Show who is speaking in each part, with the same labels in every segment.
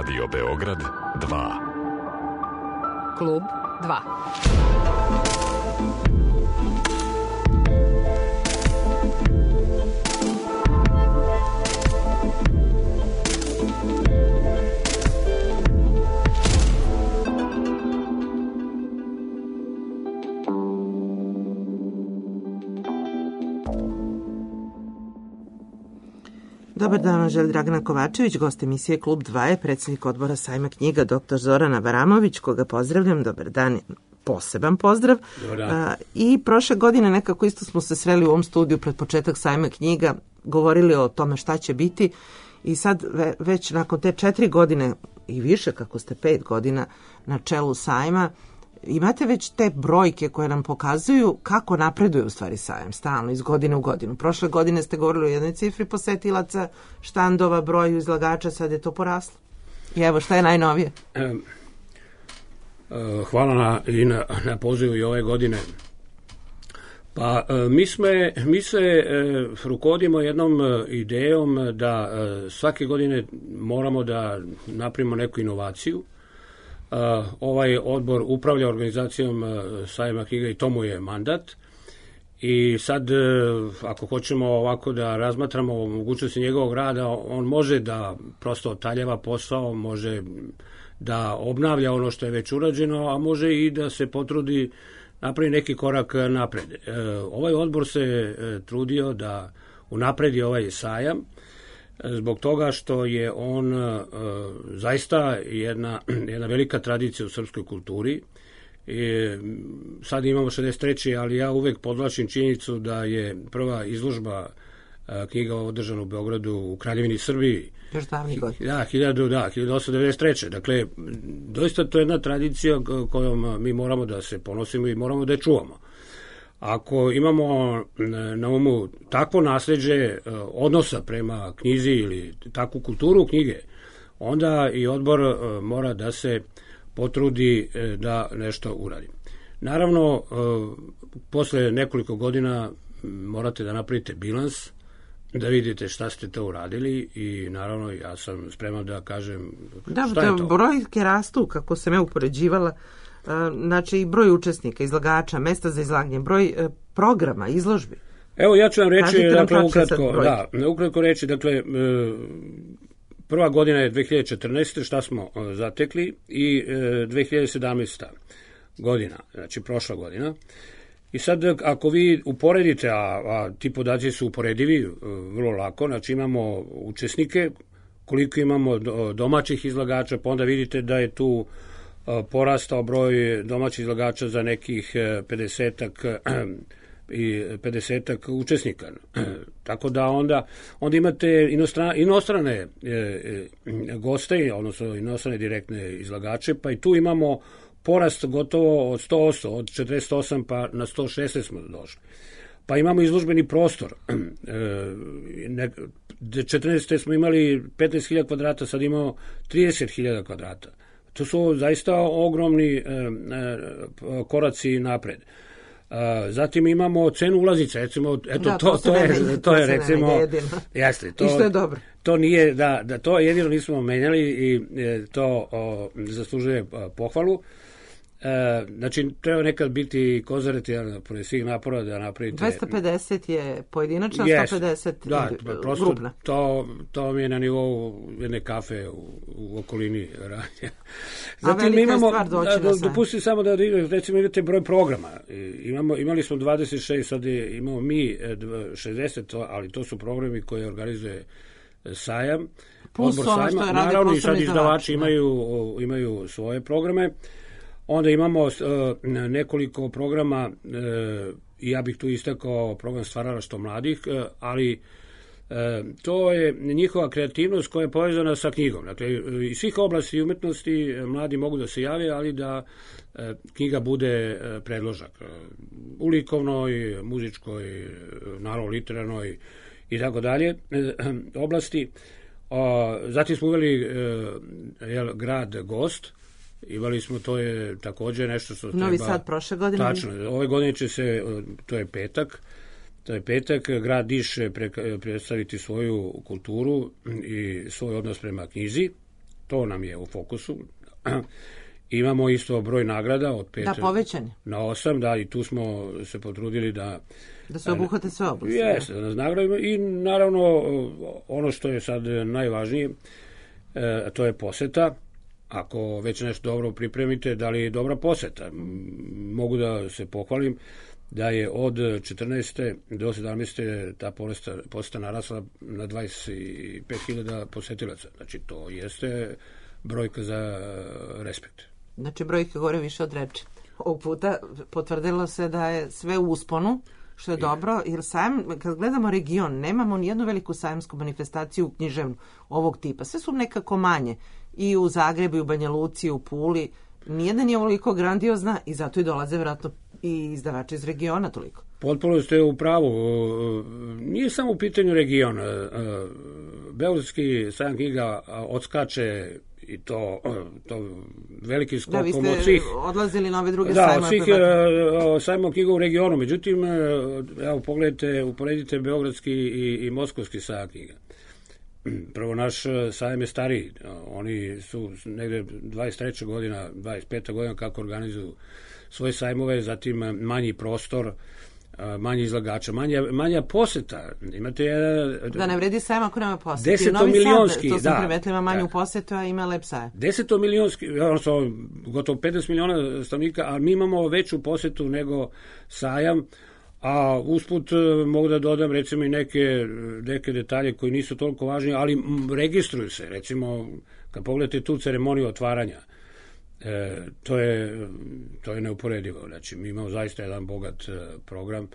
Speaker 1: Radio Beograd 2.
Speaker 2: Klub 2.
Speaker 3: Dobar dan, vam želi Dragana Kovačević, gost emisije Klub 2 je predsjednik odbora Sajma knjiga dr. Zoran Avramović, koga pozdravljam. Dobar dan, poseban pozdrav. I prošle godine nekako isto smo se sreli u ovom studiju pred početak Sajma knjiga, govorili o tome šta će biti i sad već nakon te 4 godine i više, kako ste 5 godina na čelu Sajma, imate već te brojke koje nam pokazuju kako napreduje u stvari Sajam, stalno, iz godine u godinu. Prošle godine ste govorili o jednoj cifri posetilaca, štandova, broju izlagača, sad je to poraslo. I evo, šta je najnovije?
Speaker 4: Hvala na pozivu i ove godine. Pa mi se rukovodimo jednom idejom da svake godine moramo da napravimo neku inovaciju. Ovaj odbor upravlja organizacijom Sajma knjiga i to mu je mandat. I sad, ako hoćemo ovako da razmatramo o mogućnosti njegovog rada, on može da prosto otaljava posao, može da obnavlja ono što je već urađeno, a može i da se potrudi napravi neki korak napred. Ovaj odbor se trudio da unapredi ovaj sajam, zbog toga što je on zaista jedna velika tradicija u srpskoj kulturi. Sad imamo 63. ali ja uvek podvlačim činjenicu da je prva izložba knjiga održana u Beogradu u Kraljevini Srbiji.
Speaker 3: Još davnih godina.
Speaker 4: Da, 1893. Dakle, doista to je jedna tradicija kojom mi moramo da se ponosimo i moramo da je čuvamo. Ako imamo na umu takvo nasljeđe odnosa prema knjizi ili takvu kulturu knjige, onda i odbor mora da se potrudi da nešto uradi. Naravno, posle nekoliko godina morate da napravite bilans, da vidite šta ste to uradili i naravno ja sam spreman da kažem šta je to.
Speaker 3: Da, brojke rastu, kako sam ja upoređivala. Znači i broj učesnika, izlagača, mesta za izlaganje, broj programa, izložbi.
Speaker 4: Evo ja ću vam reći, dakle, ukratko reći, dakle, prva godina je 2014. šta smo zatekli i 2017. godina, znači prošla godina. I sad ako vi uporedite, a ti podaci su uporedivi vrlo lako, znači imamo učesnike, koliko imamo domaćih izlagača, pa onda vidite da je tu porastao broj domaćih izlagača za nekih 50 učesnika. Tako da onda imate inostrane goste, odnosno inostrane direktne izlagače, pa i tu imamo porast gotovo od 100%, od 48 pa na 116 smo došli. Pa imamo izložbeni prostor. 14. smo imali 15.000 kvadrata, sad imamo 30.000 kvadrata. To su zaista ogromni koraci napred. Zatim imamo cenu ulaznice, recimo, eto, to je recimo, jeste,
Speaker 3: to je dobro.
Speaker 4: To nije, da to jedino nismo menjali i to zaslužuje pohvalu. Znači, treba nekad biti konzervativan pored svih napora da napravite...
Speaker 3: 250 je pojedinačna, 150 grupna.
Speaker 4: To mi je na nivou jedne kafe u okolini radnja.
Speaker 3: A velika je stvar doći na sajam.
Speaker 4: Dopustite samo da recimo imate broj programa. Imali smo 26, sad imamo mi 60, ali to su programi koje organizuje sajam.
Speaker 3: Plus ono što je radi
Speaker 4: naravno i sad izdavači imaju svoje programe. Onda imamo nekoliko programa, ja bih tu istakao program stvaralaštva mladih, ali to je njihova kreativnost koja je povezana sa knjigom. Dakle, iz svih oblasti umetnosti mladi mogu da se jave, ali da knjiga bude predložak. U likovnoj, muzičkoj, naravno literarnoj i tako dalje oblasti. Zatim smo uveli grad gost. Imali smo, to je također nešto što treba...
Speaker 3: Novi Sad prošle godine?
Speaker 4: Tačno, ove godine će se, to je petak, grad Niš predstaviti svoju kulturu i svoj odnos prema knjizi. to nam je u fokusu. Imamo isto broj nagrada od 5
Speaker 3: povećanje
Speaker 4: na 8, da, i tu smo se potrudili da
Speaker 3: se obuhvate sve oblasti.
Speaker 4: Jeste, da nas nagradimo i naravno ono što je sad najvažnije, to je poseta. Ako već nešto dobro pripremite, da li je dobra poseta? Mogu da se pohvalim da je od 14. do 17. ta poseta narasla na 25.000 posetilaca. Znači, to jeste brojka za respekt.
Speaker 3: Znači, brojka gore više od reči. Ovog puta potvrdilo se da je sve u usponu, što je dobro, jer kad gledamo region, nemamo ni jednu veliku sajamsku manifestaciju književnu ovog tipa. Sve su nekako manje. I u Zagrebu, i u Banja Luci, i u Puli. Nijedan je ovoliko grandiozna i zato i dolaze vjerojatno i izdavači iz regiona toliko.
Speaker 4: Potpuno ste u pravu. Nije samo u pitanju regiona. Beogradski sajam knjiga odskače i to veliki skokom od svih.
Speaker 3: Da, vi ste odlazili na ove druge sajmove.
Speaker 4: Da, od svih sajmova knjiga u regionu. Međutim, evo, uporedite Beogradski i Moskovski sajam knjiga. Prvo, naš sajam je stariji. Oni su negde 23. godina, 25. godina kako organizuju svoje sajmove, zatim manji prostor, manje izlagača, manja poseta. Imate
Speaker 3: da ne vredi sajam ako nema poseta.
Speaker 4: 10-milionski,
Speaker 3: to sam primetila, manju posetu, a ima lep sajam.
Speaker 4: 10-milionski, odnosno gotovo 50 miliona stanovnika, a mi imamo veću posetu nego sajam. A usput mogu da dodam recimo i neke detalje koji nisu toliko važni, ali registruju se. Recimo, kad pogledate tu ceremoniju otvaranja, to je neuporedivo. Znači, mi imamo zaista jedan bogat program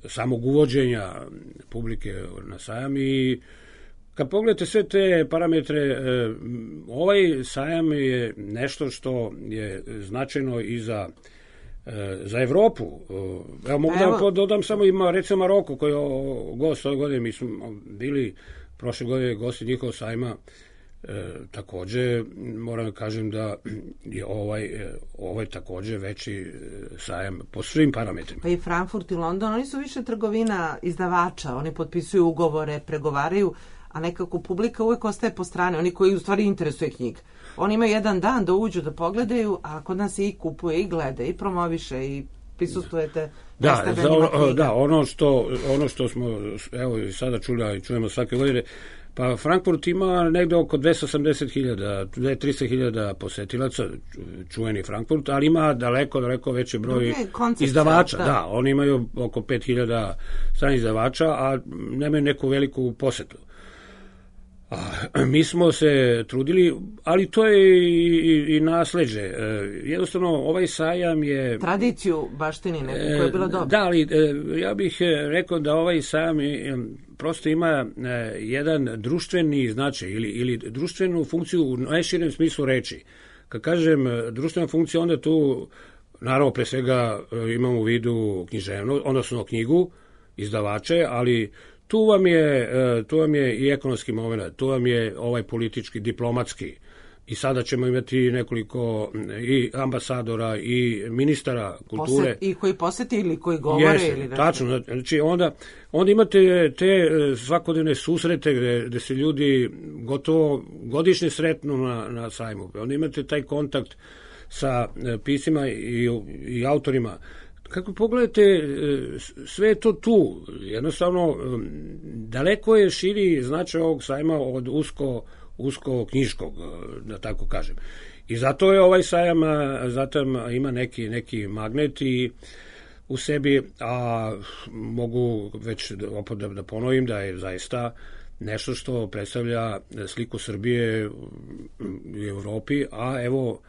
Speaker 4: samog uvođenja publike na sajam i kad pogledate sve te parametre, ovaj sajam je nešto što je značajno i za Evropu. Evo, mogu da dodam samo ima recimo Maroko koji je gost ove godine. Mi smo bili prošle godine gosti njihovog sajma. Takođe moram da kažem da je ovaj takođe veći sajam po svim parametrima.
Speaker 3: Pa i Frankfurt i London, oni su više trgovina izdavača, oni potpisuju ugovore, pregovaraju, a nekako publika uvek ostaje po strane, oni koji u stvari interesuje knjiga. Oni imaju jedan dan da uđu, da pogledaju, a kod nas se i kupuje, i gleda, i promoviše, i prisustujete.
Speaker 4: Da, ono što smo evo i sada čuli i čujemo svake godine, pa Frankfurt ima negde oko 280.000, 300.000 posetilaca, čuveni Frankfurt, ali ima daleko veći broj izdavača. Da, oni imaju oko 5.000 stranih izdavača, a nemaju neku veliku posetu. Mi smo se trudili, ali to je i nasleđe. Jednostavno, ovaj sajam je...
Speaker 3: Tradiciju baštini neku koja je bila dobra.
Speaker 4: Da, ali ja bih rekao da ovaj sajam prosto ima jedan društveni značaj ili društvenu funkciju u najširem smislu reči. Kad kažem društvena funkcija, onda tu, naravno, pre svega imamo u vidu književno, odnosno knjigu, izdavače, ali tu vam je i ekonomski moment, tu vam je ovaj politički, diplomatski. I sada ćemo imati nekoliko i ambasadora i ministara kulture.
Speaker 3: I koji posete ili koji govore. Ili
Speaker 4: tačno. Znači onda imate te svakodnevne susrete gde se ljudi gotovo godišnje sretnu na sajmu. Onda imate taj kontakt sa piscima i autorima. Kako pogledate, sve je to tu. Jednostavno, daleko je širi značaj ovog sajma od usko knjiškog, da tako kažem. I zato je ovaj sajam, zato ima neki magnet i u sebi, a mogu već opet da ponovim da je zaista nešto što predstavlja sliku Srbije u Evropi, a evo,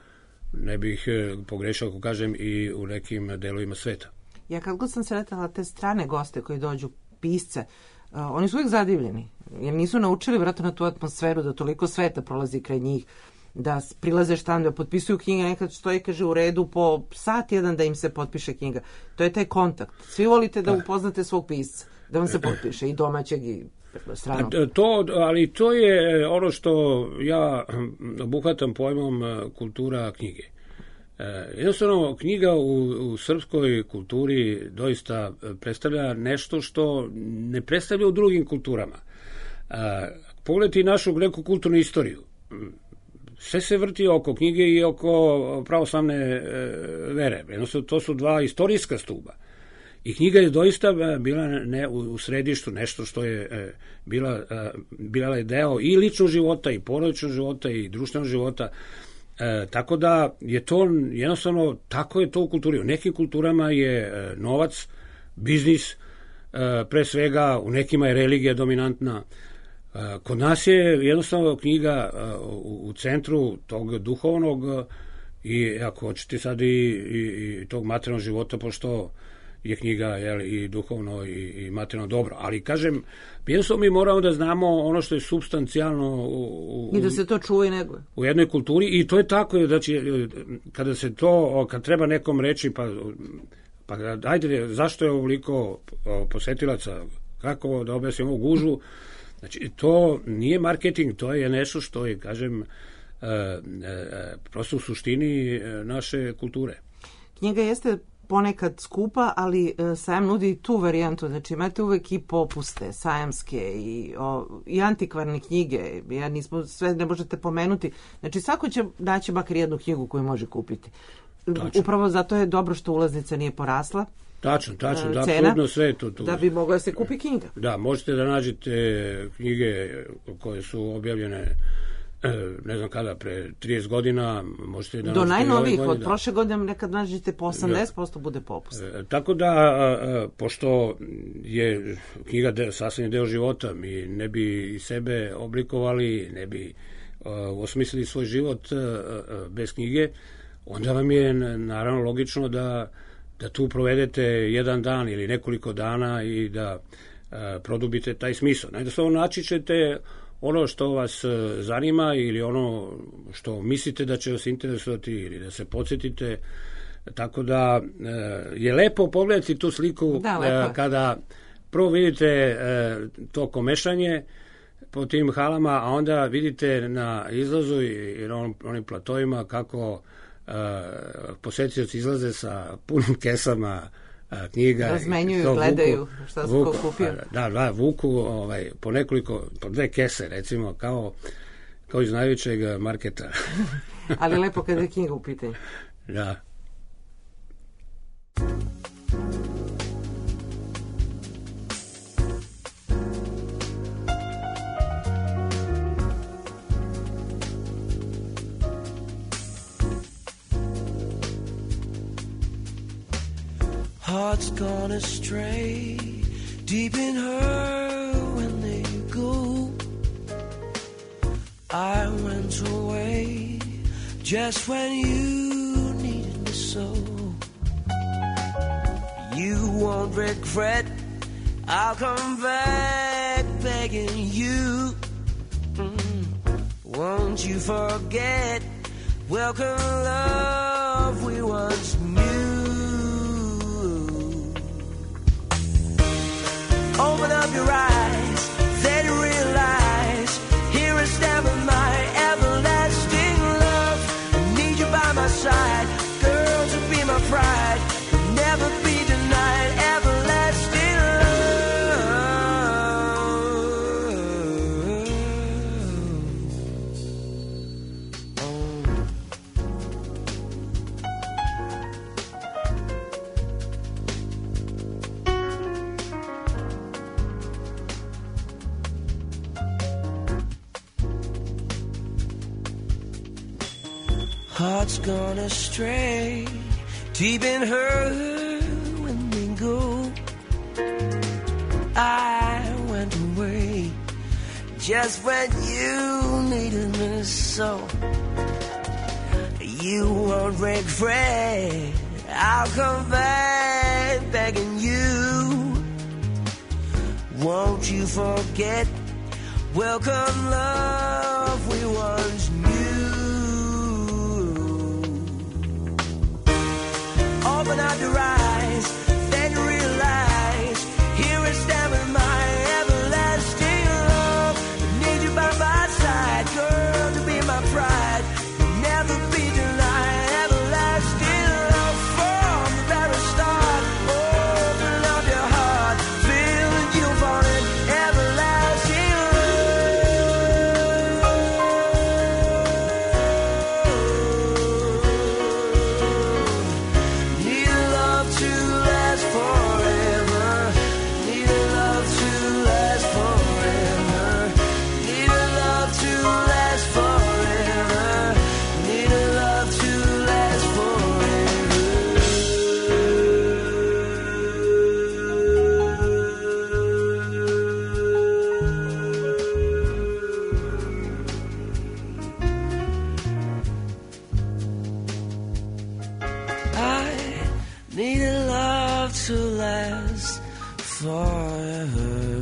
Speaker 4: ne bih pogrešao ako kažem i u nekim delovima sveta.
Speaker 3: Ja kad god sam sretala te strane goste koji dođu, pisce, oni su uvijek zadivljeni, jer nisu naučili vjerojatno na tu atmosferu da toliko sveta prolazi kraj njih, da prilaze štandu, da potpisuju knjige, nekad stoji, kaže, u redu po sat jedan da im se potpiše knjiga. To je taj kontakt. Svi volite da upoznate svog pisca, da vam se potpiše, i domaćeg i stranog.
Speaker 4: Ali to je ono što ja obuhvatam pojmom kultura knjige. Jednostavno, knjiga u srpskoj kulturi doista predstavlja nešto što ne predstavlja u drugim kulturama. Pogledajte i našu neku kulturnu istoriju. sve se vrti oko knjige i oko pravoslavne vere. Jednostavno, to su dva istorijska stuba. I knjiga je doista bila u središtu, nešto što je bila je deo i ličnog života, i porodičnog života, i društvenog života. Tako da je to jednostavno, tako je to u kulturi. U nekim kulturama je novac, biznis, pre svega u nekima je religija dominantna. Kod nas je jednostavno knjiga u centru tog duhovnog i ako hoćete sad i tog materijalnog života, pošto je knjiga i duhovno i materijalno dobro. Ali kažem, jednostavno mi moramo da znamo ono što je supstancijalno
Speaker 3: i da se to čuva i neguje
Speaker 4: u jednoj kulturi, i to je tako. Znači, kada se to, kad treba nekom reći, pa ajde, zašto je ovoliko posetilaca, kako da objasnim ovu gužu. Znači, to nije marketing, to je nešto što je, kažem, prosto u suštini naše kulture.
Speaker 3: Knjiga jeste ponekad skupa, ali sajam nudi i tu varijantu. Znači, imate uvek i popuste, sajamske i antikvarne knjige. Sve ne možete pomenuti. Znači, svako će naći makar jednu knjigu koju može kupiti. Tačno. Upravo zato je dobro što ulaznica nije porasla.
Speaker 4: Tačno, da, apsolutno sve to.
Speaker 3: Da bi mogla da se kupi knjiga.
Speaker 4: Da, možete da nađete knjige koje su objavljene ne znam kada, pre 30 godina, možete da
Speaker 3: do najnovijih, od prošle godine nekad nađete po 80% bude popust.
Speaker 4: Tako da, pošto je knjiga sasvim deo života, mi ne bi i sebe oblikovali, ne bi osmislili svoj život bez knjige, onda vam je naravno logično da tu provedete jedan dan ili nekoliko dana i da produbite taj smisao. Najdoslovno naći ćete ono što vas zanima ili ono što mislite da će vas interesovati ili da se podsjetite. Tako da je lepo pogledati tu sliku kada prvo vidite to komešanje po tim halama, a onda vidite na izlazu i na onim platovima kako posetioci izlaze sa punim kesama knjiga.
Speaker 3: Razmenjuju, gledaju šta su ko kupio.
Speaker 4: Da, vuku po 2 kese, recimo, kao iz najvećeg marketa.
Speaker 3: Ali lepo kada je knjiga u pitanju.
Speaker 4: Da.
Speaker 5: Hearts gone astray, deep in her when they go. I went away just when you needed me so. You won't regret, I'll come back begging you. Won't you forget, welcome love we once knew. Open up your eyes, then realize, here is never my everlasting love. I need you by my side, girl, to be my pride. You'll never be denied everlasting Hearts gone astray, deep in her when they go. I went away just when you needed me so. You won't regret, I'll come back begging you. Won't you forget, welcome love we once knew. Open up your eyes, then realize, here is standing my everlasting love. I need you by my side, girl, to be my pride. You'll never be denied everlasting love from the very start. Open up your heart, feel that you fall in everlasting love. to last forever.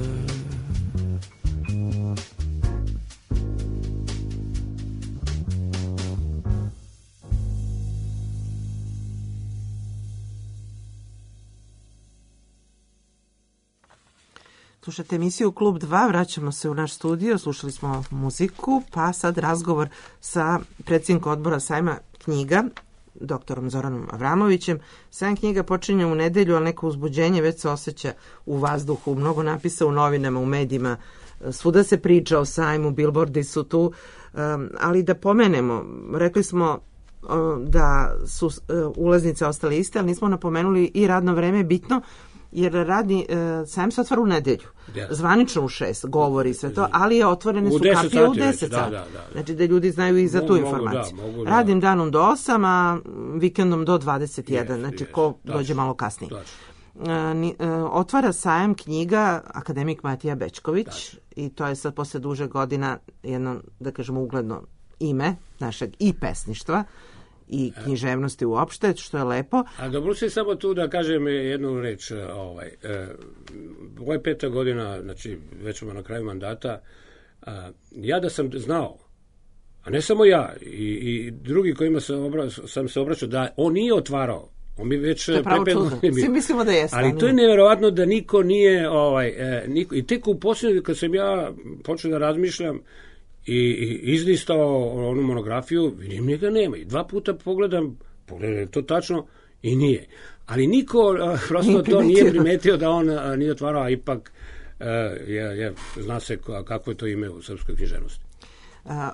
Speaker 3: Slušate emisiju Klub 2, vraćamo se u naš studio, slušali smo muziku, pa sad razgovor sa predsjednikom odbora sajma knjiga, doktorom Zoranom Avramovićem. Sajam knjiga počinje u nedelju, ali neko uzbuđenje već se osjeća u vazduhu, mnogo napisa u novinama, u medijima, svuda se priča o sajmu, bilbordi su tu, ali da pomenemo, rekli smo da su ulaznice ostale iste, ali nismo napomenuli i radno vreme bitno, jer radni sajam se otvara u nedelju. Zvanično u 6, govori sve to, ali otvorene su kapije u 10 sati. Znači da ljudi znaju i za tu informaciju. Radnim danom do 8, a vikendom do 21, znači ko dođe malo kasnije. Otvara sajam knjiga akademik Matija Bećković i to je sad posle duže godina jedno, da kažemo, ugledno ime našeg i pesništva i književnosti uopšte, što je lepo.
Speaker 4: A dobro se samo tu da kažem jednu reč. Ovo je 5. godina, znači već smo na kraju mandata. Ja da sam znao, a ne samo ja, i drugi kojima sam se obraćao, da on nije otvarao. On bi već
Speaker 3: svi mislimo da jeste.
Speaker 4: Ali to je nevjerovatno da niko nije, i tek u posljednju, kad sam ja počeo da razmišljam, i izlistao onu monografiju, vidim njega nema. I 2 puta pogledam to tačno i nije. Ali niko prosto to nije primetio da on nije otvarao, a ipak zna se kako je to ime u srpskoj književnosti.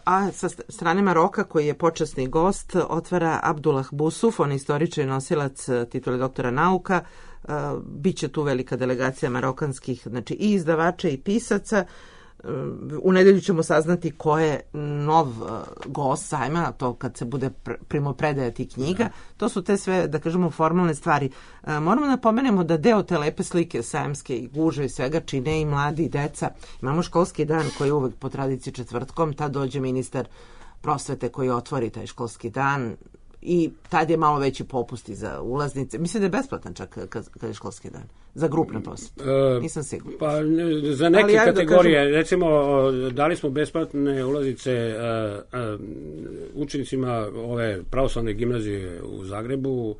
Speaker 3: A sa strane Maroka, koji je počasni gost, otvara Abdullah Busuf, on je istoričar i nosilac titule doktora nauka. Biće tu velika delegacija marokanskih, znači i izdavača i pisaca. U nedelju ćemo saznati ko je nov gost sajma, to kad se bude primopredajati knjiga. To su te sve, da kažemo, formalne stvari. Moramo da pomenemo da deo te lepe slike sajamske i guže i svega čine i mladi i deca. Imamo školski dan koji je uvek po tradiciji četvrtkom, tad dođe ministar prosvete koji otvori taj školski dan i tad je malo veći popusti za ulaznice. Mislim da je besplatan čak kad je školski dan. Za grupne posete. Nisam sigurna.
Speaker 4: Pa za neke kategorije, recimo, dali smo besplatne ulaznice učenicima ove pravoslavne gimnazije u Zagrebu.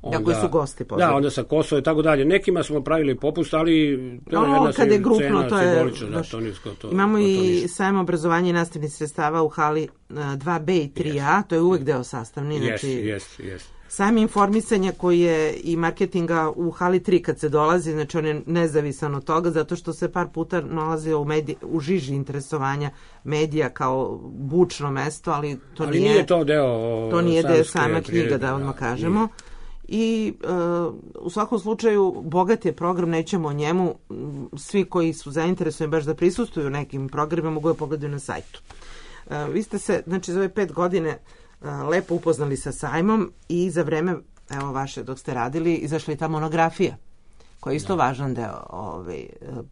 Speaker 3: Onda, koji su gosti.
Speaker 4: Da, onda sa Kosova i tako dalje. Nekima smo pravili popust, ali to je jedna
Speaker 3: kad je grupno,
Speaker 4: cena simbolična.
Speaker 3: Imamo i sajam obrazovanja i nastavnih sredstava u hali 2B i 3A, to je uvek deo sastavni.
Speaker 4: Yes.
Speaker 3: Sajam informisanja koji je i marketinga u hali 3 kad se dolazi, znači on je nezavisan od toga, zato što se par puta nalazio u žiži interesovanja medija kao bučno mesto, ali
Speaker 4: nije to deo.
Speaker 3: To nije deo sajma knjiga, da odmah kažemo. I u svakom slučaju bogat je program, nećemo o njemu, svi koji su zainteresovani baš da prisustuju nekim programima mogu da pogledaju na sajtu. Vi ste se, znači, za ove 5 godine lepo upoznali sa sajmom i za vreme, evo vaše, dok ste radili, izašla i ta monografija, koja je isto važan deo,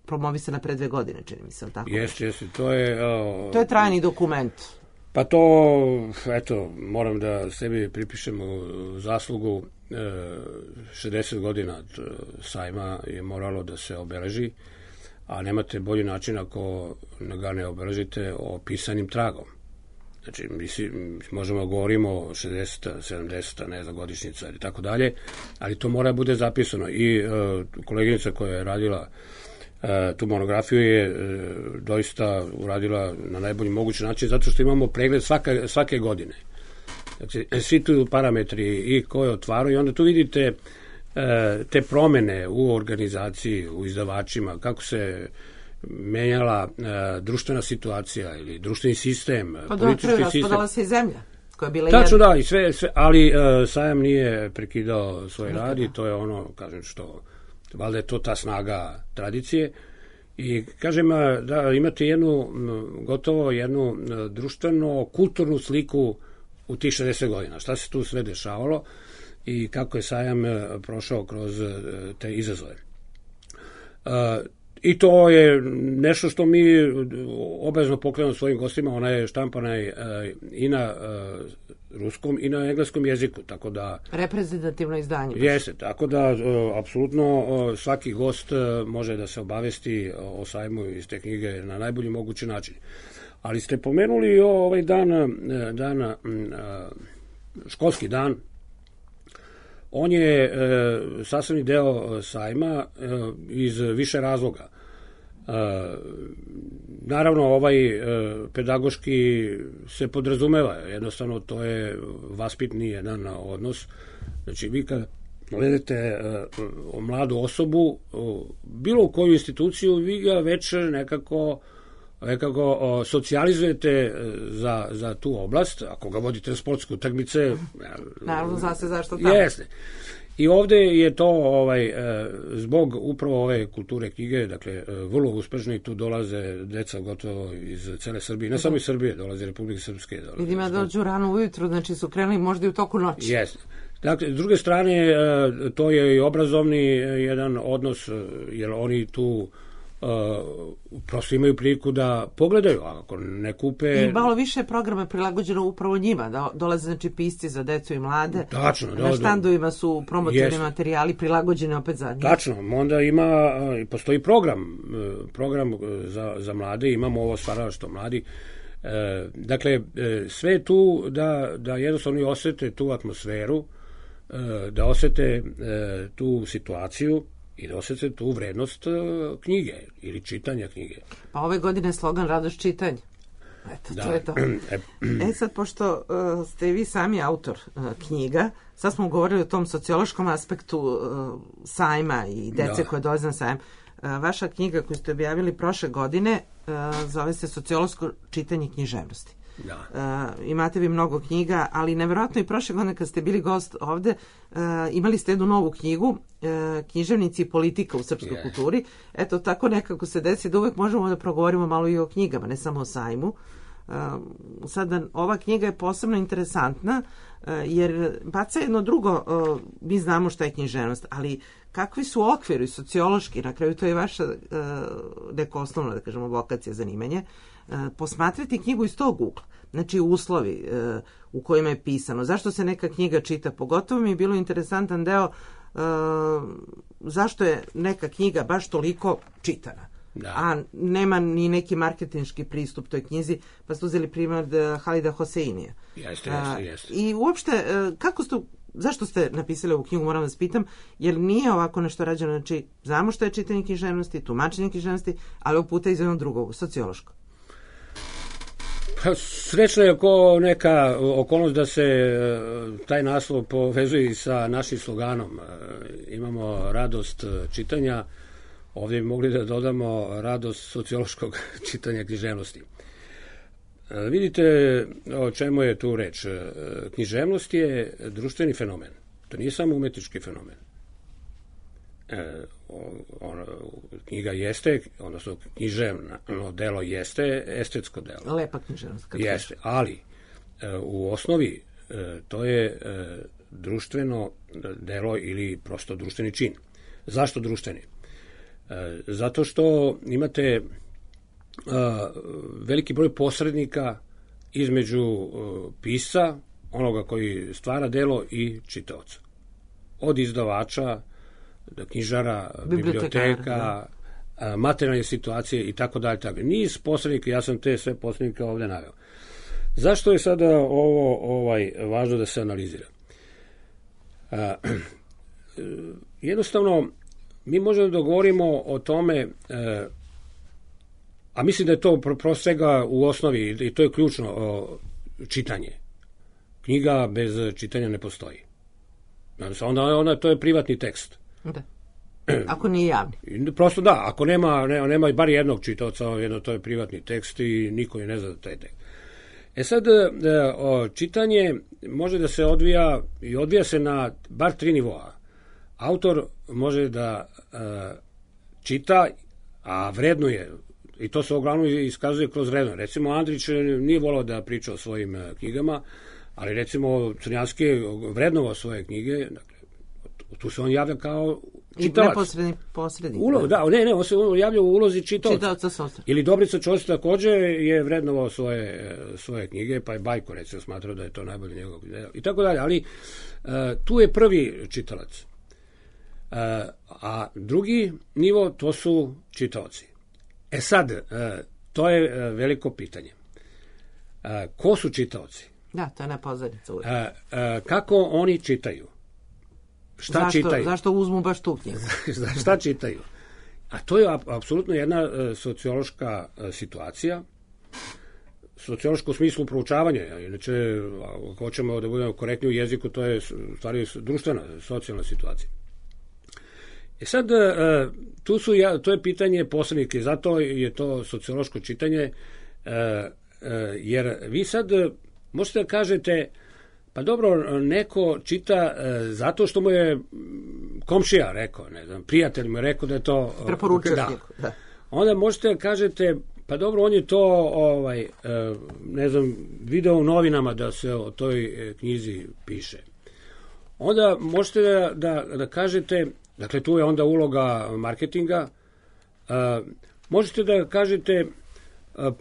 Speaker 3: promovisana pre 2 godine, čini mi se, tako?
Speaker 4: Jeste, to je...
Speaker 3: To je trajni dokument.
Speaker 4: Pa to, eto, moram da sebi pripišem zaslugu. 60 godina sajma je moralo da se obeleži, a nemate bolji način ako ga ne obeležite pisanim tragom. Znači, možemo govorimo o 60, 70, ne znam, godišnjica ili tako dalje, ali to mora bude zapisano. I koleginica koja je radila tu monografiju je doista uradila na najbolji mogući način, zato što imamo pregled svake godine. Znači, svi tu parametri i ko je otvarao i onda tu vidite te promene u organizaciji, u izdavačima, kako se menjala društvena situacija ili društveni sistem, politički sistem.
Speaker 3: Raspadala se i zemlja koja je bila
Speaker 4: tačno, da, i sve, ali sajam nije prekidao svoj rad i to je ono, kažem, što valjda je to ta snaga tradicije. I kažem da imate gotovo jednu društveno-kulturnu sliku u tih 60 godina. Šta se tu sve dešavalo i kako je sajam prošao kroz te izazove. I to je nešto što mi obavezno poklanjamo svojim gostima. Ona je štampana i na ruskom i na engleskom jeziku, tako da...
Speaker 3: Reprezentativno izdanje.
Speaker 4: Jeste, tako da apsolutno svaki gost može da se obavesti o sajmu iz te knjige na najbolji mogući način. Ali ste pomenuli ovaj školski dan. On je sastavni deo sajma iz više razloga. Naravno, ovaj pedagoški se podrazumeva, jednostavno to je vaspitni jedan odnos. Znači, vi kad gledate mladu osobu, bilo u koju instituciju, vi ga već nekako socijalizujete za tu oblast. Ako ga vodite na sportske utakmice...
Speaker 3: Naravno, zna se zašto tamo.
Speaker 4: Jeste. I ovde je to zbog upravo ove kulture knjige, dakle, vrlo uspešno, i tu dolaze deca gotovo iz cele Srbije, ne samo iz Srbije, dolaze Republike Srpske.
Speaker 3: Vidim ja dođu rano ujutru, znači su krenuli možda i u toku noći.
Speaker 4: Jeste. Dakle, s druge strane, to je i obrazovni jedan odnos, jer oni tu prosto imaju priliku da pogledaju, a ako ne kupe...
Speaker 3: I malo više programa prilagođeno upravo njima, da dolaze znači pisci za decu i mlade.
Speaker 4: Tačno.
Speaker 3: Na štandovima su promotivni materijali prilagođeni opet za njih.
Speaker 4: Tačno, onda postoji program za mlade, imamo ovo stvaralaštvo mladi. Dakle, sve je tu da jednostavno osete tu atmosferu, da osete tu situaciju i da osjeti tu vrednost knjige ili čitanja knjige.
Speaker 3: Pa ove godine je slogan radost čitanja. Eto, to je to. Sad, pošto ste vi sami autor knjiga, sad smo govorili o tom sociološkom aspektu sajma i dece koje dolaze na sajam. Vaša knjiga koju ste objavili prošle godine zove se Sociološko čitanje književnosti. Imate vi mnogo knjiga, ali neverovatno i prošle godine kad ste bili gost ovde, imali ste jednu novu knjigu, Književnici i politika u srpskoj kulturi. Eto, tako nekako se desi da uvek možemo da progovorimo malo i o knjigama, ne samo o sajmu. Sada, ova knjiga je posebno interesantna, jer baca jedno drugo, mi znamo šta je književnost, ali kakvi su okviri sociološki, na kraju to je vaša neko osnovno, da kažemo, vokacija, zanimanje, posmatrati knjigu iz tog ugla. Znači, uslovi u kojima je pisano. Zašto se neka knjiga čita? Pogotovo mi je bilo interesantan deo zašto je neka knjiga baš toliko čitana. A nema ni neki marketinški pristup toj knjizi, pa ste uzeli primjer Halida Hoseinija.
Speaker 4: Jeste.
Speaker 3: I uopšte, zašto ste napisali ovu knjigu, moram vas pitam, jer nije ovako nešto rađeno, znači, znamo što je čitanje književnosti, tumačenje književnosti, ali ovog puta iz jednog drugog, sociološko.
Speaker 4: Srećna je neka okolnost da se taj naslov povezuje sa našim sloganom. Imamo radost čitanja, ovdje bi mogli da dodamo radost sociološkog čitanja književnosti. Vidite o čemu je tu reč. Književnost je društveni fenomen. To nije samo umetnički fenomen. Knjiga jeste, odnosno književno delo jeste estetsko delo.
Speaker 3: Lepa književnost.
Speaker 4: Jeste, ali u osnovi to je društveno delo ili prosto društveni čin. Zašto društveni? Zato što imate veliki broj posrednika između pisca, onoga koji stvara delo, i čitaoca. Od izdavača, knjižara, biblioteka, materijalne situacije i tako dalje. Niz posrednika, ja sam te sve posrednike ovde naveo. Zašto je sada ovo važno da se analizira? Jednostavno, mi možemo da govorimo o tome, a mislim da je to prosto svega u osnovi, i to je ključno, čitanje. Knjiga bez čitanja ne postoji. Onda to je privatni tekst.
Speaker 3: Da. Ako nije javni.
Speaker 4: Prosto da, ako nema bar jednog čitaoca, to je privatni tekst i niko ne zna da taj tekst. Sad, čitanje može da se odvija, i odvija se na bar 3 nivoa. Autor može da čita, a vrednuje, i to se uglavnom iskazuje kroz vredno. Recimo, Andrić nije volao da priča o svojim knjigama, ali recimo Crnjanski je vrednovao svoje knjige, dakle, tu se on javlja kao čitalac.
Speaker 3: I neposredni posrednik.
Speaker 4: On se javlja u ulozi čitaoca. Ili Dobrica Ćosić takođe je vrednovao svoje knjige, pa je Bajko recimo smatrao da je to najbolje njegov delo i tako dalje, ali tu je prvi čitalac. A drugi nivo to su čitaoci. Sad, to je veliko pitanje. Ko su čitaoci?
Speaker 3: Da, to je nepozornica uvijek.
Speaker 4: Kako oni čitaju? Šta čitaju?
Speaker 3: Zašto uzmu baš tu knjigu?
Speaker 4: Šta čitaju? A to je apsolutno jedna sociološka situacija, sociološko u smislu proučavanja. Inače, ako hoćemo da budemo korektni u jeziku, to je stvari društvena, socijalna situacija. Sad, to je pitanje posrednika, zato je to sociološko čitanje, jer vi sad možete da kažete, pa dobro, neko čita zato što mu je komšija rekao, ne znam, prijatelj mu je rekao da je to...
Speaker 3: Preporučio da.
Speaker 4: Onda možete da kažete, pa dobro, on je to, ne znam, video u novinama da se o toj knjizi piše. Onda možete da kažete, dakle, tu je onda uloga marketinga, možete da kažete,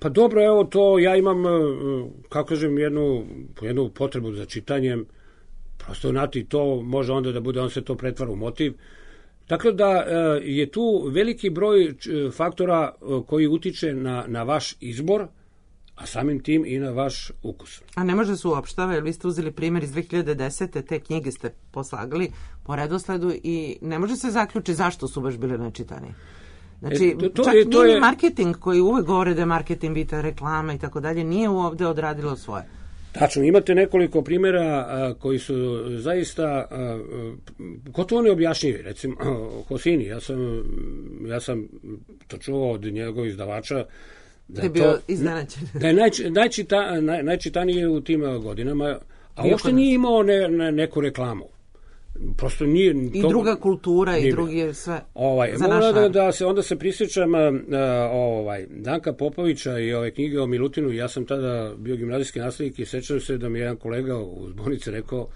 Speaker 4: pa dobro, evo to, ja imam, kako kažem, jednu potrebu za čitanjem, prosto znati, to može onda da bude, on se to pretvara u motiv. Dakle, da je tu veliki broj faktora koji utiče na vaš izbor, a samim tim i na vaš ukus.
Speaker 3: A ne može se uopštava, jer vi ste uzeli primjer iz 2010. Te knjige ste poslagali po redosledu i ne može se zaključiti zašto su baš bile nečitani. Znači, čak nije marketing koji uvek govore da je marketing bita reklama i tako dalje, nije ovde odradilo svoje.
Speaker 4: Tačno, imate nekoliko primjera koji su zaista gotovo neobjašnjivi. Recimo, Hosini, ja sam to čuo od njegovog izdavača,
Speaker 3: da je bio iznenađen.
Speaker 4: Da je najčitaniji u tim godinama, a uopšte nije imao neku reklamu. Prosto nije...
Speaker 3: I druga kultura i drugi sve za naš
Speaker 4: narod. Onda se prisjećam Danka Popovića i ove knjige o Milutinu. Ja sam tada bio gimnazijski nastavnik i sećam se da mi jedan kolega u zbornici rekao,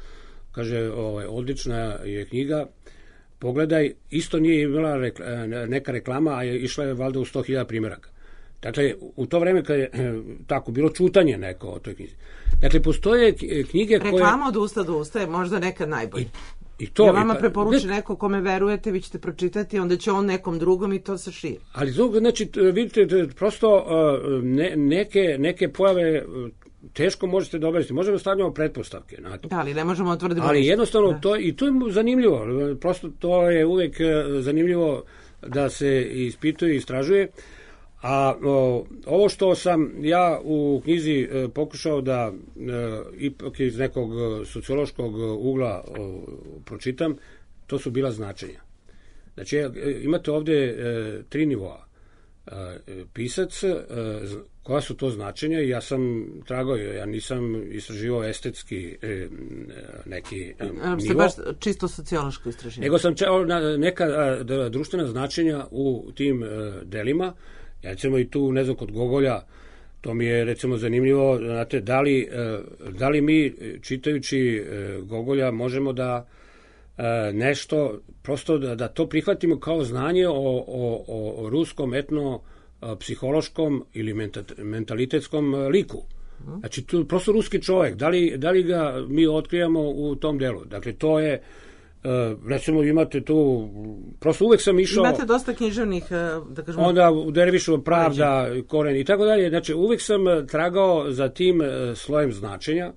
Speaker 4: kaže, odlična je knjiga, pogledaj, isto nije imala neka reklama, a išla je valjda u 100.000 primjeraka. Dakle, u to vreme kad je tako bilo čutanje neko o toj knjizi. Dakle, postoje knjige koje...
Speaker 3: Reklama od usta do usta je možda nekad najbolje. Ja vama preporuči neko kome verujete, vi ćete pročitati, onda će on nekom drugom i to se širi.
Speaker 4: Ali znači, vidite, prosto neke pojave teško možete da obaviti. Možemo stavljamo pretpostavke na to.
Speaker 3: Da, ali ne možemo otvrditi.
Speaker 4: Ali jednostavno, to je zanimljivo. Prosto to je uvek zanimljivo da se ispituje i istražuje. A ovo što sam ja u knjizi pokušao da ipak iz nekog sociološkog ugla pročitam, to su bila značenja. Znači, imate ovde 3 nivoa. Pisac, koja su to značenja, i ja sam tragao, ja nisam istraživao estetski neki nivo.
Speaker 3: Ste baš čisto sociološko istraživanje.
Speaker 4: Nego sam neka društvena značenja u tim delima. Ja recimo i tu, ne znam, kod Gogolja, to mi je recimo zanimljivo, znate, da li mi čitajući Gogolja možemo da nešto, prosto da to prihvatimo kao znanje o ruskom etno-psihološkom ili mentalitetskom liku. Znači, tu prosto ruski čovjek, da li ga mi otkrijamo u tom delu? Dakle, to je... recimo imate tu, prosto uvek sam išao...
Speaker 3: Imate dosta književnih, da kažemo...
Speaker 4: Onda u Dervišu Pravda, Koren i tako dalje. Znači, uvek sam tragao za tim slojem značenja,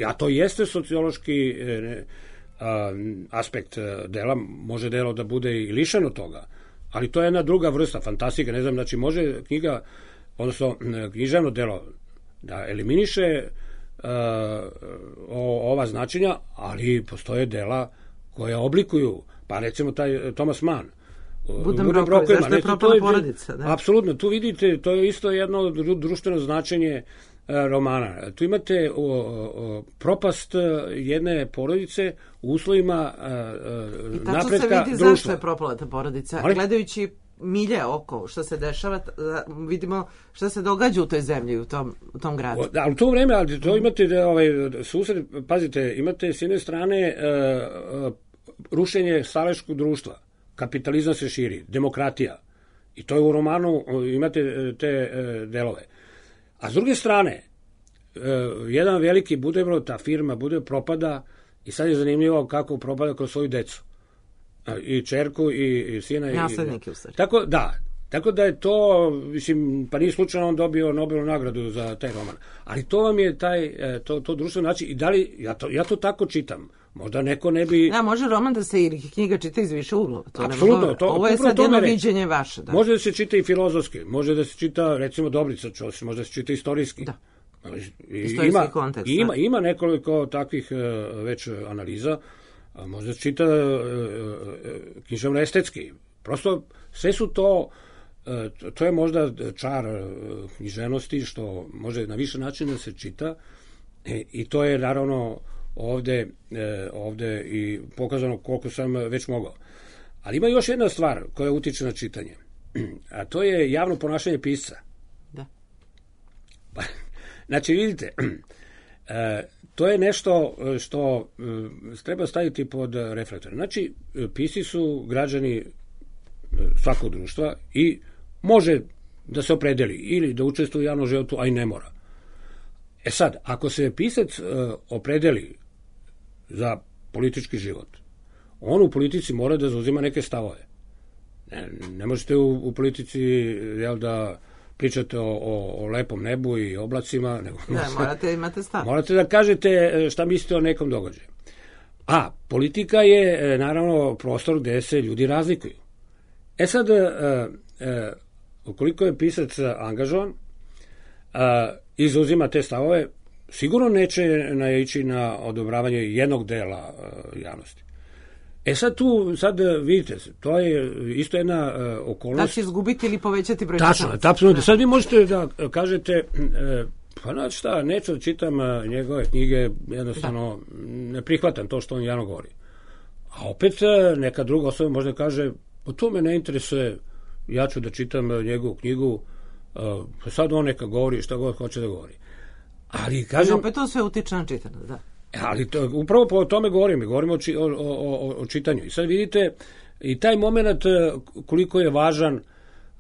Speaker 4: a to jeste sociološki aspekt dela, može delo da bude i lišeno toga, ali to je jedna druga vrsta, fantastika, ne znam, znači može knjiga, odnosno književno delo da eliminiše ova značenja, ali postoje dela koja oblikuju, pa recimo taj Thomas Mann,
Speaker 3: Buddenbrookovi, zašto je propala porodica?
Speaker 4: Apsolutno, tu vidite, to je isto jedno društveno značenje romana. Tu imate propast jedne porodice u uslovima napretka društva. I tačno se vidi zašto je propala ta porodica. Gledajući milje oko što se dešava, vidimo šta se događa u toj zemlji, u tom gradu. Ali u to vreme, ali to imate susred, pazite, imate s jedne strane rušenje staleškog društva, kapitalizam se širi, demokratija. I to je u romanu, imate te delove. A s druge strane, jedan veliki Budebro, ta firma Budebro propada i sad je zanimljivo kako propada kroz svoju decu. I čerku i sina.
Speaker 3: Naslednike u stvari.
Speaker 4: Tako da je to, mislim, pa nije slučajno on dobio Nobelovu nagradu za taj roman. Ali to vam je to društveno način. I da li, ja to tako čitam. Možda neko ne bi...
Speaker 3: Da, može roman da se ili knjiga čita iz više uglova.
Speaker 4: Apsolutno.
Speaker 3: Ovo je sad jedno viđenje vaše. Da.
Speaker 4: Može da se čita i filozofski, može da se čita, recimo, Dobrica Ćosić, može da se čita istorijski.
Speaker 3: Da. Istorijski kontekst.
Speaker 4: Ima nekoliko takvih već analiza, može da se čita književno-estetski. Prosto, sve su to je možda čar književnosti, što može na više načina da se čita i to je naravno ovde i pokazano koliko sam već mogao. Ali ima još jedna stvar koja utiče na čitanje, a to je javno ponašanje pisca.
Speaker 3: Da.
Speaker 4: Znači, vidite, to je nešto što treba staviti pod reflektor. Znači, pisci su građani svakog društva i može da se opredeli ili da učestvuje u javnom životu, a i ne mora. E sad, ako se pisac opredeli za politički život, on u politici mora da zauzima neke stavove. Ne možete u politici da pričate o lepom nebu i oblacima.
Speaker 3: Morate imate stav.
Speaker 4: Morate da kažete šta mislite o nekom događaju. A politika je naravno prostor gde se ljudi razlikuju. E sad, ukoliko je pisac angažovan i zauzima te stavove, sigurno neće naići na odobravanje jednog dela javnosti. E sad vidite, to je isto jedna okolnost.
Speaker 3: Da će izgubiti ili povećati broj
Speaker 4: čitalaca. Tačno, apsolutno. Sad vi možete da kažete, pa znači šta, neću da čitam njegove knjige, jednostavno ne prihvatam to što on javno govori. A opet neka druga osoba možda kaže, to me ne interesuje, ja ću da čitam njegovu knjigu, sad on neka govori šta god hoće da govori. Ali kažem...
Speaker 3: opet to sve utiče na čitanje, da.
Speaker 4: Ali upravo po tome govorimo o čitanju. I sad vidite i taj moment koliko je važan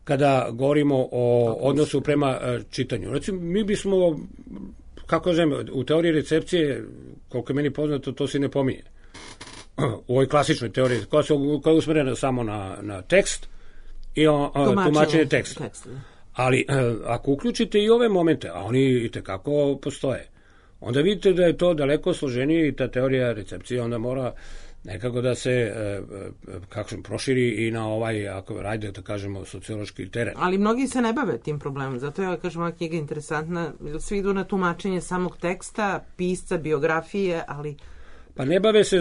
Speaker 4: kada govorimo o odnosu prema čitanju. Recimo, mi bismo, kako kažem, u teoriji recepcije, koliko je meni poznato, to se ne pominje. U ovoj klasičnoj teoriji, koja je usmerena samo na tekst i tumačenje teksta. Ali ako uključite i ove momente, a oni i tekako postoje, onda vidite da je to daleko složenije i ta teorija recepcije onda mora nekako da se proširi i na ajde da kažemo, sociološki teren.
Speaker 3: Ali mnogi se ne bave tim problemom, zato ja kažem, ova knjiga je interesantna, svi idu na tumačenje samog teksta, pisca, biografije, ali...
Speaker 4: Pa ne bave se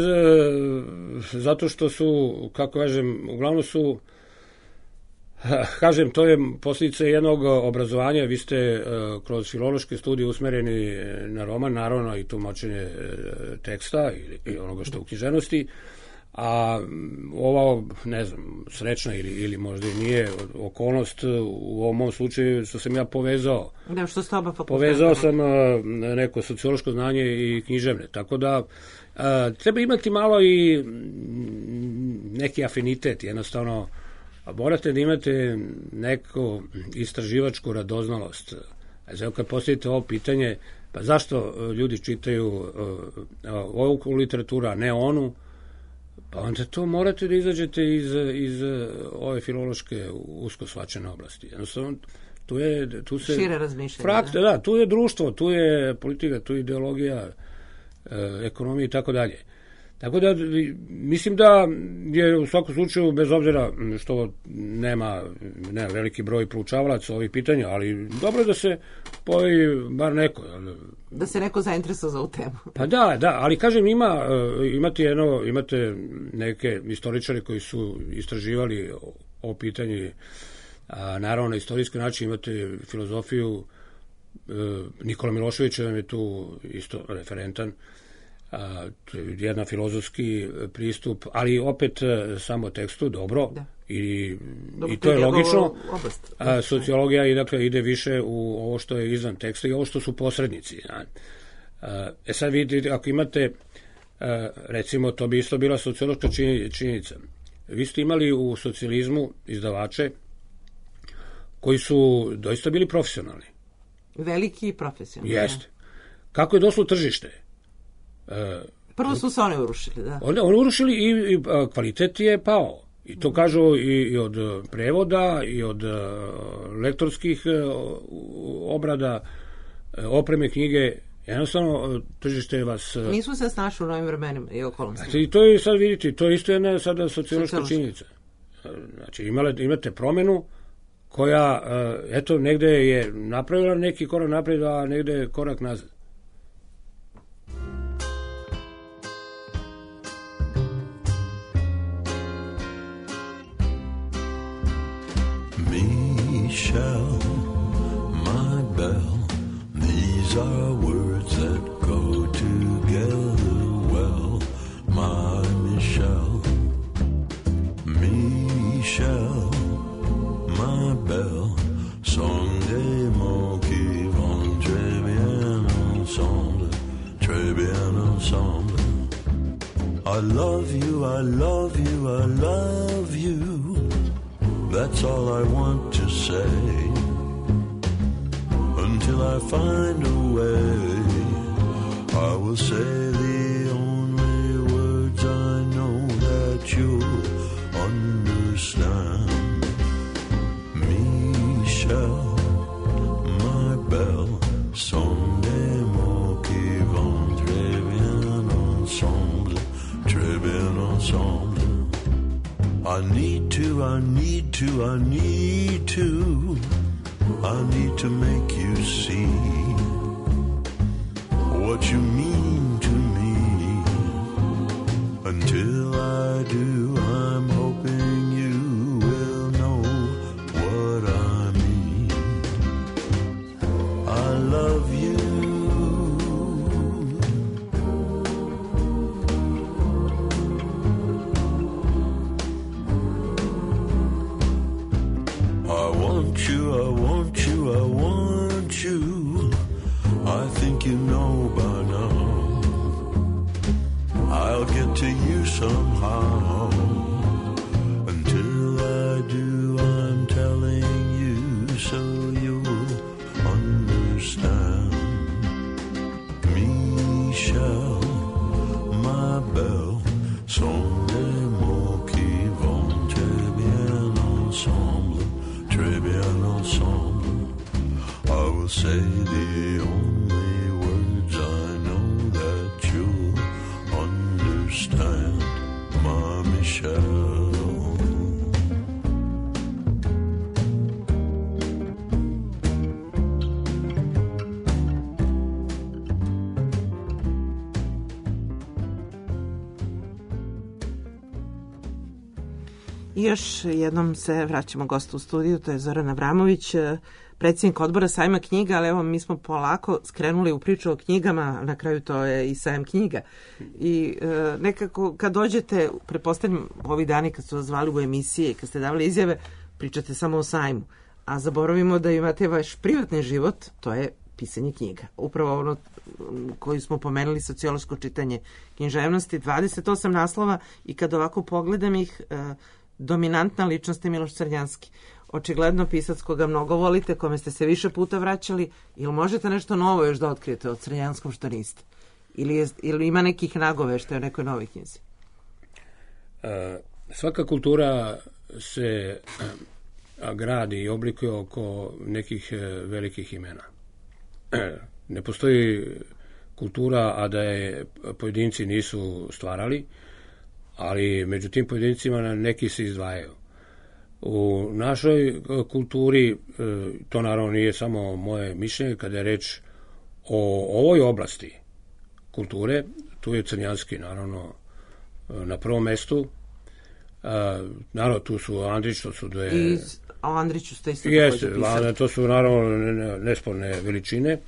Speaker 4: zato što su, kako kažem, uglavnom su, kažem, to je posljedica jednog obrazovanja, vi ste kroz filološke studije usmereni na roman, naravno i tumačenje teksta i onoga što u književnosti, a ova, ne znam, srećna ili možda i nije okolnost u ovom mom slučaju što sam ja povezao.
Speaker 3: Da, što ste oba fakulteta.
Speaker 4: Povezao sam neko sociološko znanje i književne, tako da treba imati malo i neki afinitet, jednostavno morate da imate neku istraživačku radoznalost. Znači, kad postavite ovo pitanje, pa zašto ljudi čitaju ovu literaturu, a ne onu, pa onda to morate da izađete iz ove filološke usko shvaćene oblasti. Jednostavno, tu se...
Speaker 3: Šire razmišljanje.
Speaker 4: Da, tu je društvo, tu je politika, tu je ideologija, ekonomija i tako dalje. Tako da, mislim da je u svakom slučaju, bez obzira što nema veliki broj proučavalaca ovih pitanja, ali dobro je da se pojavi bar neko.
Speaker 3: Da se neko zainteresuje za ovu temu.
Speaker 4: Pa da, ali kažem, imate neke istoričare koji su istraživali ovo pitanje, naravno na istorijski način imate filozofiju, Nikola Milošević vam je tu isto referentan, to je jedan filozofski pristup, ali opet samo tekstu, dobro, i to je logično. Sociologija ide više u ovo što je izvan teksta i ovo što su posrednici. Sad vidite, ako imate, recimo, to bi isto bila sociološka činjenica. vi ste imali u socijalizmu izdavače koji su doista bili profesionalni.
Speaker 3: Veliki i profesionalni.
Speaker 4: Jeste. Kako je došlo tržište?
Speaker 3: Prvo su se one urušili, da.
Speaker 4: Oni urušili i kvalitet je pao. I to kažu i od prevoda, i od lektorskih obrada, opreme, knjige. Jednostavno, tržište vas...
Speaker 3: Nisu se snašli u novim vremenima i okolnostima.
Speaker 4: I to je sad, vidite, to je isto jedna sada sociološka činjenica. Znači, imate promenu koja, eto, negde je napravila neki korak napred, a negde korak nazad.
Speaker 6: Michelle, my belle, these are words that go together well. My Michelle, Michelle, my belle, song des mots qui vont très bien ensemble, très bien ensemble. I love you, I love you, I love you. That's all I want to say, until I find a way. I will say the only words I know that you'll understand. Michelle, my belle, sont des mots qui vont très bien ensemble, très bien ensemble. I need to, I need to, I need to, I need to make you see what you mean to me. Until I do, I'm hoping you will know what I mean. I love you. I think you know by now I'll get to you somehow. Until I do, I'm telling you so you'll understand. Michelle, my belle, sont des mots qui vont très bien ensemble, très bien ensemble. I will say the only words I know that you'll understand, my Michelle.
Speaker 3: I još jednom se vraćamo gostu u studiju, to je Zoran Avramović, predsjednik odbora Sajma knjiga, ali evo mi smo polako skrenuli u priču o knjigama, na kraju to je i Sajam knjiga. I nekako kad dođete, pretpostavljam ovi dani kad su vas zvali u emisije i kad ste davali izjave, pričate samo o sajmu, a zaboravimo da imate vaš privatni život, to je pisanje knjiga. Upravo ono koji smo pomenuli, sociološko čitanje književnosti, 28 naslova i kad ovako pogledam ih, dominantna ličnost je Miloš Crnjanski. Očigledno pisac koga mnogo volite, kome ste se više puta vraćali, ili možete nešto novo još da otkrijete od Crnjanskom što niste? Ili ima nekih nagoveštaja o nekoj novoj knjizi?
Speaker 4: Svaka kultura se gradi i oblikuje oko nekih velikih imena. Ne postoji kultura, a da je pojedinci nisu stvarali, ali među tim pojedincima neki se izdvajaju. U našoj kulturi, to naravno nije samo moje mišljenje, kada je reč o ovoj oblasti kulture, tu je Crnjanski naravno na prvom mestu. Naravno, tu su Andrić, to su dve...
Speaker 3: I o Andriću ste isto
Speaker 4: također pisali. To su naravno nesporne veličine.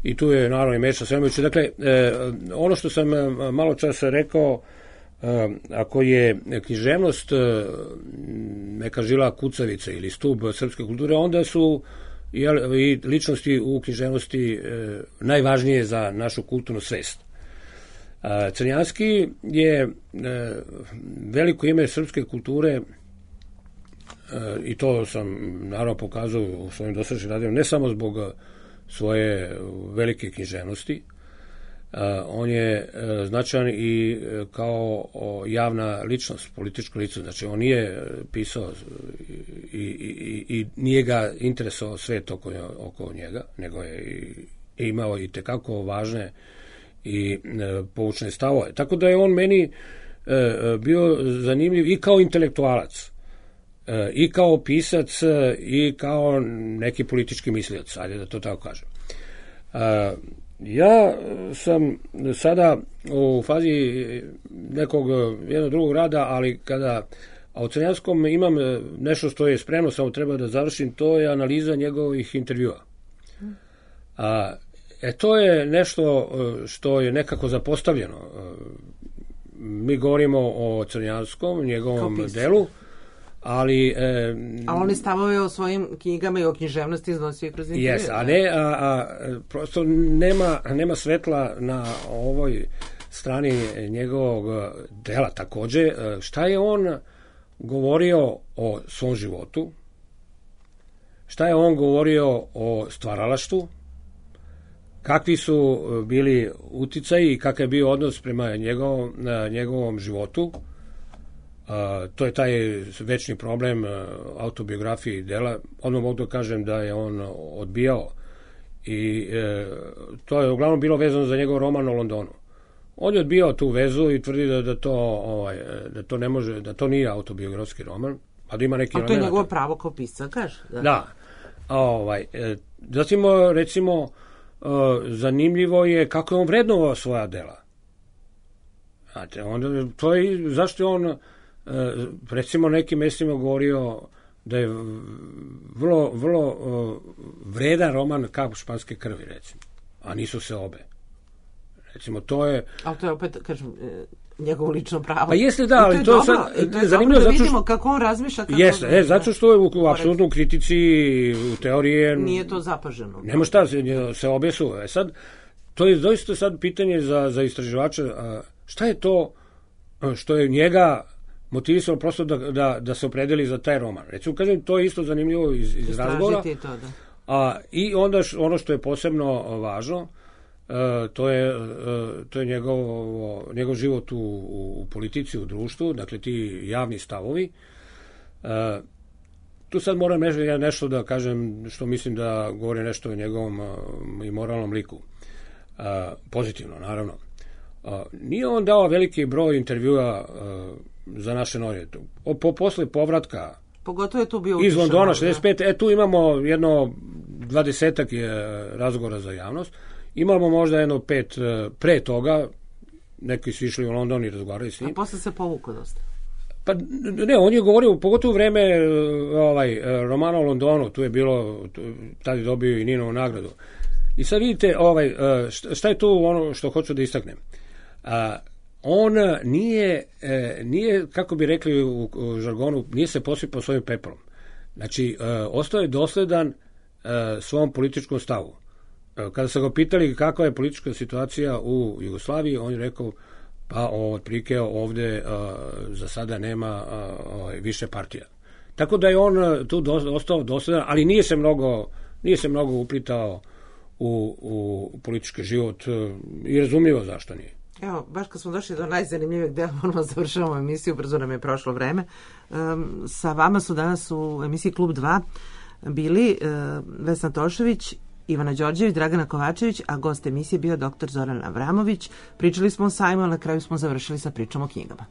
Speaker 4: I tu je naravno i Meša Selimović. Dakle, ono što sam malo časa rekao, ako je književnost neka žila kucavica ili stub srpske kulture, onda su i ličnosti u književnosti najvažnije za našu kulturnu svest. Crnjanski je veliko ime srpske kulture i to sam naravno pokazao u svojim dosadašnjim radima, ne samo zbog svoje velike književnosti. On je značajan i kao javna ličnost, politička ličnost. Znači, on nije pisao i nije ga interesovao svet oko njega, nego je imao i tekako važne i poučne stavove. Tako da je on meni bio zanimljiv i kao intelektualac, i kao pisac, i kao neki politički mislilac, ajde da to tako kažem. Ja sam sada u fazi nekog jednog drugog rada, ali a u Crnjanskom imam nešto što je spremno, samo treba da završim, to je analiza njegovih intervjua. To je nešto što je nekako zapostavljeno. Mi govorimo o Crnjanskom, njegovom delu, ali...
Speaker 3: A oni stavove o svojim knjigama i o književnosti iznosio kroz intervju.
Speaker 4: Jes, prosto nema svetla na ovoj strani njegovog dela takođe. Šta je on govorio o svom životu? Šta je on govorio o stvaralaštvu? Kakvi su bili uticaji i kakav je bio odnos prema njegovom životu? To je taj večni problem autobiografije i dela. Odmah mogu da kažem da je on odbijao i to je uglavnom bilo vezano za njegov roman o Londonu. On je odbijao tu vezu i tvrdi da to ne može, da to nije autobiografski roman, a da ima neki
Speaker 3: elementa. A to je njegovo pravo kao pisca, kaže.
Speaker 4: Da. Zatim, recimo, zanimljivo je kako je on vrednovao svoja dela. Znate, to je, zašto je on recimo nekim mestima govorio da je vrlo vredan roman Kap španske krvi, recimo, a nisu se obe. Recimo, to je...
Speaker 3: Ali to je opet, kažem, njegovo lično pravo.
Speaker 4: Pa jeste, da, ali to je sad
Speaker 3: zanimljivo da vidimo kako on razmišlja.
Speaker 4: Jeste, zato što je u apsolutnoj kritici, u teoriji...
Speaker 3: Nije to zapaženo.
Speaker 4: Nema šta, se obesu. Sad, to je doista sad pitanje za istraživača, šta je to što je njega motivisalo prosto da se opredeli za taj roman. Recimo, kažem, to je isto zanimljivo iz razgovora.
Speaker 3: To, da.
Speaker 4: I onda ono što je posebno važno, to je njegov život u politici, u društvu, dakle ti javni stavovi. Tu sad moram nešto da kažem što mislim da govori nešto o njegovom i moralnom liku. Pozitivno, naravno. Nije on dao veliki broj intervjua za naše novine. Posle povratka
Speaker 3: pogotovo je tu bio
Speaker 4: iz Londona 65, tu imamo jedno 20-ak razgovora za javnost. Imamo možda jedno 5 pre toga, neki su išli u London i razgovarali s njim.
Speaker 3: A posle se povukao dosta.
Speaker 4: Pa ne, on je govorio, pogotovo u vreme romana o Londonu, tu je bilo, tada je dobio i Ninovu nagradu. I sad vidite, šta je tu ono što hoću da istaknem. On nije, kako bi rekli u žargonu, nije se posipao svojim pepelom. Znači, ostao je dosledan svom političkom stavu. Kada su ga pitali kakva je politička situacija u Jugoslaviji, on je rekao, pa otprilike ovde za sada nema više partija. Tako da je on tu ostao dosledan, ali nije se mnogo uplitao u politički život i razumljivo zašto nije.
Speaker 3: Evo, baš kad smo došli do najzanimljivijeg dela, moramo završavamo emisiju, brzo nam je prošlo vreme. Sa vama su danas u emisiji Klub 2 bili Vesna Tošević, Ivana Đorđević, Dragana Kovačević, a gost emisije bio dr. Zoran Avramović. Pričali smo o sajmu, a na kraju smo završili sa pričom o knjigama.